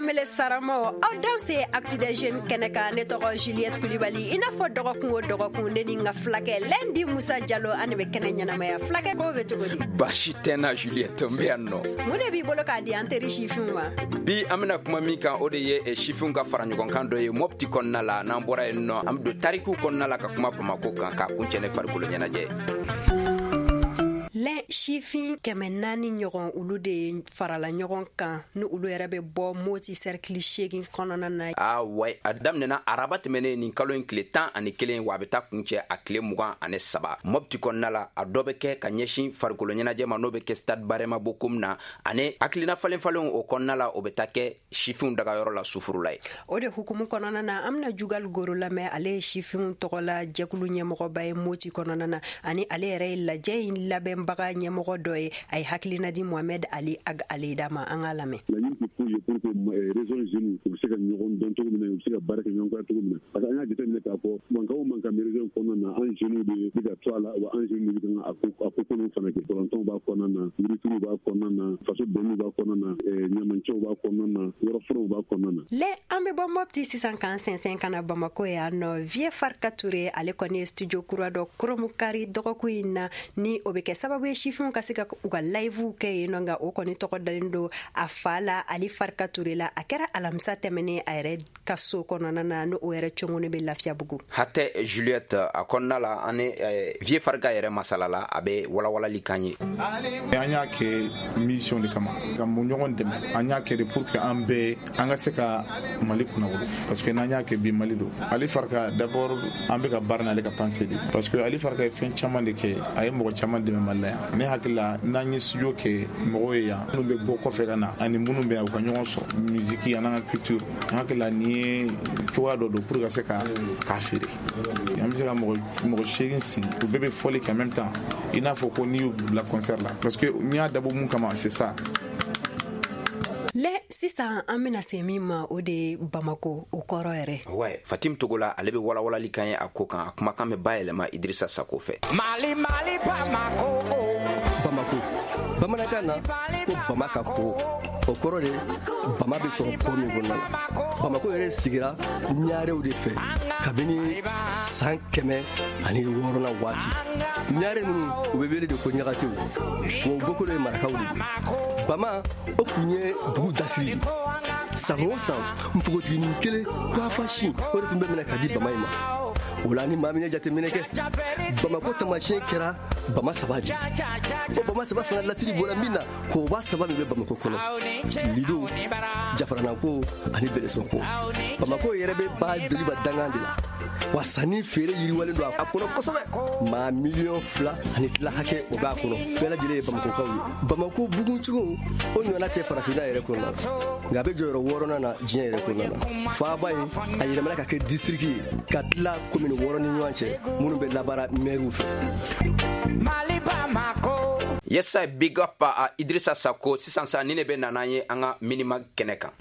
Kamele Saramaw, aw danse Actu des Jeunes kɛnɛ kan. Ne tɔgɔ Juliette Kulibali. I n'a fɔ dɔgɔkun o dɔgɔkun, ne ni n ka fulakɛ Lɛndi Musa Jalo, an de bɛ kɛnɛ ɲɛnamaya. Fulakɛ, ko bɛ cogo di? Baasi tɛ n na Juliette, n bɛ yan nɔ. Mun de b'i bolo k'a di an teri sifinw ma? Bi an bɛna kuma min kan, o de ye sifinw ka fara ɲɔgɔn kan dɔ ye Mɔpti kɔnɔna la. N'an bɔra yen nɔ, an bɛ don tarikiw kɔnɔna la ka kuma Bamako kan, k'a kuncɛ ni farikolo ɲɛnajɛ. Lɛn sifin 400 ɲɔgɔn, olu de ye farala ɲɔgɔn kan, ni olu yɛrɛ bɛ bɔ Moti cercle 8 kɔnɔna na. Ah ouais, a daminɛna araba tɛmɛnen nin kalo in tile 11, wa a bɛ taa kuncɛ a tile 23 Mɔpti kɔnɔna la. A dɔ bɛ kɛ ka ɲɛsin farikolo ɲɛnajɛ ma, n'o bɛ kɛ stade Barema Bokum na, ani hakilina falen falenw o kɔnɔna la, o bɛ taa kɛ sifinw dagayɔrɔ la Sufurula ye. O de hukumu kɔnɔna na, an bɛna Jugal Goro lamɛn. Ale ye sifinw tɔgɔla jɛkulu ɲɛmɔgɔba ye Moti kɔnɔna na, ani ale yɛrɛ ye lajɛ in labɛnbaga ɲɛmɔgɔ dɔ ye. A ye hakilina di Mohamed Ali Ag Aleda ma, an k'a lamɛn. Laɲini tɛ foyi ye pour que région jeunes u bɛ se ka ɲɔgɔn dɔn cogo min na, u bɛ se ka baara kɛ ɲɔgɔn fɛ cogo min na, parce que an y'a jateminɛ k'a fɔ mankan o mankan bɛ région kɔnɔna na, an jeunes de bɛ ka to a la, wa an jeunes de bɛ ka a ko kolonw fana kɛ. Balontanw b'a kɔnɔna na, yirituru b'a kɔnɔna na, faso dɔnniw b'a kɔnɔna na, ɲamancɛw b'a kɔnɔna na, yɔrɔ furanw b'a kɔnɔna na. Lɛ, an bɛ bɔ Mɔpti sisan k'an sɛnsɛn ka na Bamako yan nɔ. Vieux Farka Ture, ale kɔni ye studio kura dɔ kurunbonkari dɔgɔkun in na, ni o bɛ kɛ sababu ye sifinw ka se ka u ka livew kɛ yen nɔ. Nka o kɔni tɔgɔ dalen don a fa la, Ali Farka Ture la. A kɛra alamisa tɛmɛnen a yɛrɛ ka so kɔnɔna na, ni o yɛrɛ congoni bɛ Lafiyabugu. Hatɛ Juliette, a kɔnɔna la, an ni Vieux Farka yɛrɛ masala la, a bɛ walawalali kan ye. An y'a kɛ mission de kama ka mun ɲɔgɔn dɛmɛ. An y'a kɛ de pour que an bɛɛ an ka se ka Mali kunnawolo, parce que n'an y'a kɛ bi, Mali don. Ali Farka d'abord, an bɛ ka baara n'ale ka pensée de, parce que Ali Farka ye fɛn caman de kɛ, a ye mɔgɔ caman dɛmɛ Mali la yan. Ne hakili la, n'an ye studio kɛ mɔgɔw ye yan, minnu bɛ bɔ kɔfɛ ka na ani minnu bɛ yan, u ka ɲɔgɔn sɔrɔ musique ani an ka culture. N hakili la, nin ye cogoya dɔ don pour ka se ka k'a feere. An bɛ se ka mɔgɔ 8 sigi, u bɛɛ bɛ fɔli kɛ en même temps, i n'a fɔ ko n'i y'u bila concert la, parce que n'i y'a dabɔ mun kama, c'est ça. Lɛ, sisan an bɛna se min ma, o de ye Bamako o kɔrɔ yɛrɛ. Ouais, Fatim Togola, ale bɛ walawalali kan ye a ko kan. A kumakan bɛ bayɛlɛma Idrissa Sako fɛ. Mali, Mali, Bamako. Bamako, bamanankan na ko bama ka ko, o kɔrɔ de bama bɛ sɔrɔ kɔ min kɔnɔna na. Bamako yɛrɛ sigira ɲarew de fɛ kabini san 106nan waati. Ɲare ninnu, u bɛ wele de ko ɲagatew, wa u bɔkolo ye marakaw de ye. Bama o kun ye dugu dasiri de. San o san, npogotiginin kelen kuwafa sin, o de tun bɛ minɛ ka di bama in ma. O la, ni maa min ye jateminɛ kɛ, Bamako taamasiyɛn kɛra bama saba de. O bama saba fana lasiri bɔra min na, koba saba min bɛ Bamako kɔnɔ: Lido, Jafaranako ani Belesɔnko. Bamako yɛrɛ bɛ ba Joliba dangan de la, wa sanni feere yiriwalen don a kɔnɔ kosɛbɛ. Maa 2.5 miliyɔn hakɛ o b'a kɔnɔ, bɛɛ lajɛlen ye Bamakokaw ye. Bamako buguncogo o ɲɔgɔnna tɛ farafinna yɛrɛ kɔnɔna na, nka a bɛ jɔyɔrɔ wɔɔrɔnan na diɲɛ yɛrɛ kɔnɔna na. Faaba in, a yɛlɛmana ka kɛ district ye ka tila komini 6 ni ɲɔgɔn cɛ, minnu bɛ labaara mɛriw fɛ. Mali, Bamako. Yes, big up a Idrissa Sako. Sisan sa, ni ne bɛ nana ye an ka minima kɛnɛ kan.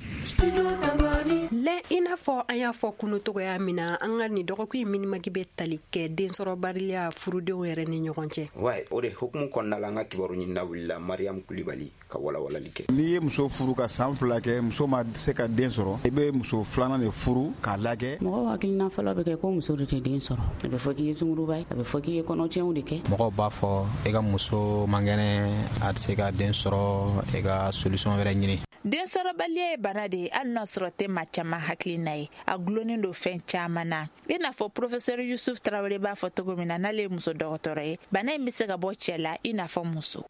Lɛ, i n'a fɔ an y'a fɔ kunu togoya min na, an ka nin dɔgɔkun in minimagi bɛ tali kɛ densɔrɔbaliya furudenw yɛrɛ ni ɲɔgɔn cɛ. Ouais, o de hukumu kɔnɔna la, an ka kibaru ɲinina wulila Mariam Kulibali ka walawalali kɛ. N'i ye muso furu ka san 2 kɛ, muso ma se ka den sɔrɔ, i bɛ muso filanan de furu k'a lajɛ. Mɔgɔw hakilina fɔlɔ bɛ kɛ ko muso de tɛ den sɔrɔ. A bɛ fɔ k'i ye sunguruba ye, a bɛ fɔ k'i ye kɔnɔtiɲɛw de kɛ. Mɔgɔw b'a fɔ e ka muso man kɛnɛ, a tɛ se ka den sɔrɔ, e ka solution wɛrɛ ɲini. Densɔrɔbaliya ye bana de ye, hali n'a sɔrɔ tɛ maa caman hakilina ye, a gulonnen don fɛn caman na. I n'a fɔ professeur Yusuf Tarawele b'a fɔ cogo min na, n'ale ye muso dɔgɔtɔrɔ ye, bana in bɛ se ka bɔ cɛ la i n'a fɔ muso.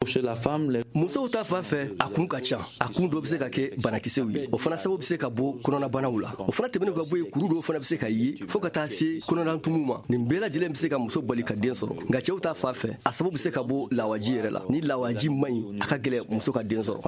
Musow ta fan fɛ, a kun ka ca. A kun dɔ bɛ se ka kɛ banakisɛw ye, o fana sababu bɛ se ka bɔ kɔnɔnabanaw la. O fana tɛmɛnen ka bɔ yen, kuru dɔw fana bɛ se ka ye, fo ka taa se kɔnɔnatumuw ma. Nin bɛɛ lajɛlen bɛ se ka muso bali ka den sɔrɔ. Nka cɛw ta fan fɛ, a sababu bɛ se ka bɔ lawaji yɛrɛ la. Ni lawaji man ɲi, a ka gɛlɛn muso ka den sɔrɔ.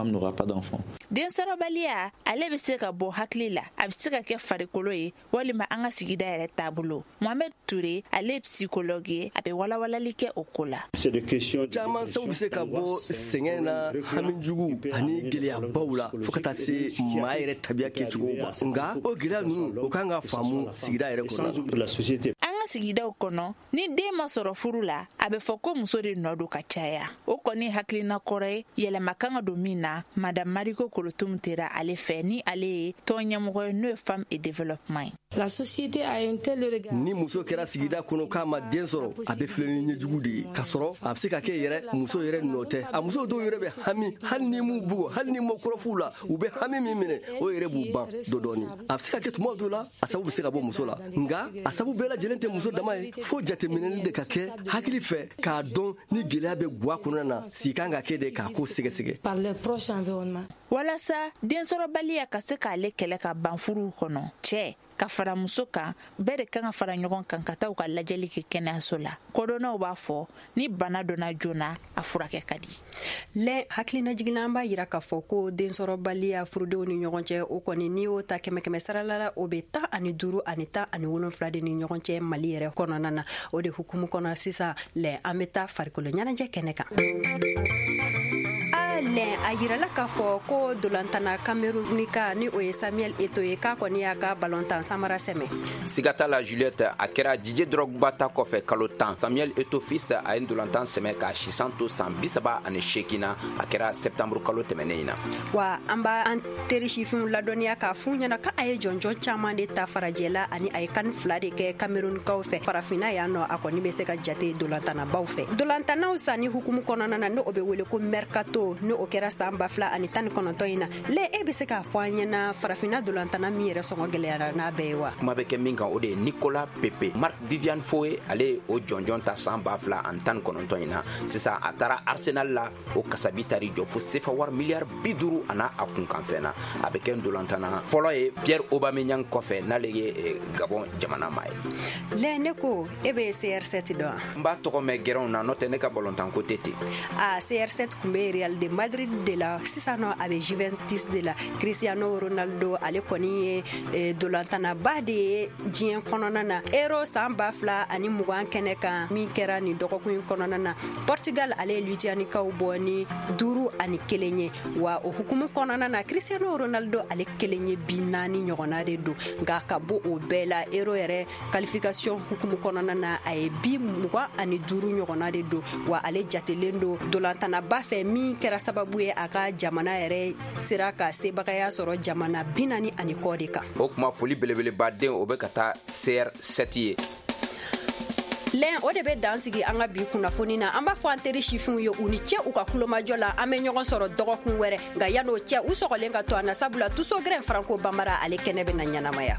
Densɔrɔbaliya, ale bɛ se ka bɔ hakili la, a bɛ se ka kɛ farikolo ye, walima an ka sigida yɛrɛ taabolo. Mohamed Ture, ale ye psychologue ye, a bɛ walawalali kɛ o ko la. Caman sababu bɛ se ka bɔ sɛgɛn na, hamijugu ani gɛlɛyabaw la, fo ka taa se maa yɛrɛ tabiya kɛcogo ma. Nka o gɛlɛya ninnu, o kan ka faamu sigida yɛrɛ kɔnɔ. An ka ka sigidaw kɔnɔ, ni den ma sɔrɔ furu la, a bɛ fɔ ko muso de nɔ don ka caya. O kɔni hakilina kɔrɔ ye, yɛlɛma kan ka don min na. Madame Mariko Kolotum tera ale fɛ, ni ale ye tɔn ɲɛmɔgɔ ye, n'o ye Femme et Développement ye. La société a un tel regard. Ni muso kɛra sigida kɔnɔ k'a ma den sɔrɔ, a bɛ filɛ ni ɲɛjugu de ye, k'a sɔrɔ a bɛ se ka kɛ yɛrɛ muso yɛrɛ nɔ tɛ. A muso dɔw yɛrɛ bɛ hami, hali ni m'u bugɔ, hali ni m'o kɔrɔf'u la, u bɛ hami min minɛ, o yɛrɛ b'u ban dɔ dɔɔni. A bɛ se ka kɛ tuma dɔw la, a sababu bɛ se ka bɔ muso la, nka a sababu bɛɛ lajɛlen tɛ muso dama ye. Fo jateminɛli de ka kɛ hakili fɛ k'a dɔn ni gɛlɛya bɛ gwa kɔnɔna na, sigi kan ka kɛ de k'a ko sɛgɛsɛgɛ. Par leur proche environnement. Walasa densɔrɔbaliya ka se k'ale kɛlɛ ka ban furuw kɔnɔ, cɛ ka fara muso kan, bɛɛ de kan ka fara ɲɔgɔn kan ka taa u ka lajɛli kɛ kɛnɛyaso la. Kodɔnnaw b'a fɔ ni bana donna joona, a furakɛ ka di. Lɛ hakilina jiginna, an b'a yira k'a fɔ ko densɔrɔbaliya furudenw ni ɲɔgɔn cɛ, o kɔni, n'i y'o ta kɛmɛ kɛmɛ sarala la, o bɛ 15 ani 17 de ni ɲɔgɔn cɛ Mali yɛrɛ kɔnɔna na. O de hukumu kɔnɔ sisan, lɛ, an bɛ taa farikolo ɲɛnajɛ kɛnɛ kan. Lɛ, a yirala k'a fɔ ko dolantana Kamerunika, ni o ye Samuel Eto ye, k'a kɔni y'a ka balontan samara sɛmɛ. Siga t'a la, Juliette. A kɛra Didier Drogba ta kɔfɛ kalo 10, Samuel Eto'o fils a ye ndolantan sɛmɛ k'a sisan to san 38 na. A kɛra septembre kalo tɛmɛnen in na. Wa an b'a an teri sifinw ladɔnniya k'a f'u ɲɛna ka a ye jɔnjɔn caman de ta farajɛla, ani a ye CAN fila de kɛ Kamerunikaw fɛ. Farafinna yan nɔ, a kɔni bɛ se ka jate dolantanabaw fɛ. Dolantanaw sanni hukumu kɔnɔna na, n'o bɛ wele ko mercato, ni o kɛra san 2019 in na, lɛ, e bɛ se k'a fɔ an ɲɛna farafinna dolantana min yɛrɛ sɔngɔ gɛlɛyara n'a bɛɛ ye wa? Kuma bɛ kɛ min kan, o de ye Nicolas Pepe. Marc Vivian Foe, ale ye o jɔnjɔn ta san 2019 in na. Sisan a taara Arsenal la, o kasabi tari jɔ fo sefa wari miliyari 50 a n'a a kunkanfɛn na. A bɛ kɛ ndolantana fɔlɔ ye Pierre Aubameyang kɔfɛ, n'ale ye Gabon jamana maa ye. Lɛ, ne ko e bɛ CR7 dɔn wa? N b'a tɔgɔ mɛn gɛrɛnw na, n'o tɛ ne ka balontan ko tɛ ten. A CR7 tun bɛ Real de Madrid de la, sisan nɔ a bɛ Juventus de la. Cristiano Ronaldo, ale kɔni ye dolantanaba de ye diɲɛ kɔnɔna na. Euro san 2020 kɛnɛ kan min kɛra nin dɔgɔkun in kɔnɔna na, Portugal, ale ye Lituanikaw bɔ ni 5-1 ye. Wa o hukumu kɔnɔna na, Cristiano Ronaldo, ale kelen ye bi naani ɲɔgɔnna de don. Nka ka bɔ o bɛɛ la, Euro yɛrɛ qualification hukumu kɔnɔna na, a ye bi 25 ɲɔgɔnna de don. Wa ale jatelen don dolantanaba fɛ min kɛra sababu ye a ka jamana yɛrɛ sera ka sebagaya sɔrɔ jamana 40 ani kɔ de kan. O kuma, foli belebelebaden o bɛ ka taa CR7 ye. Lɛn, o de bɛ dan sigi an ka bi kunnafoni na. An b'a fɔ an teri sifinw ye, u ni cɛ u ka kulomajɔ la. An bɛ ɲɔgɔn sɔrɔ dɔgɔkun wɛrɛ, nka yan'o cɛ, u sɔgɔlen ka to an na, sabula Tusogɛrɛn Franco Banbara, ale kɛnɛ bɛ na ɲɛnamaya.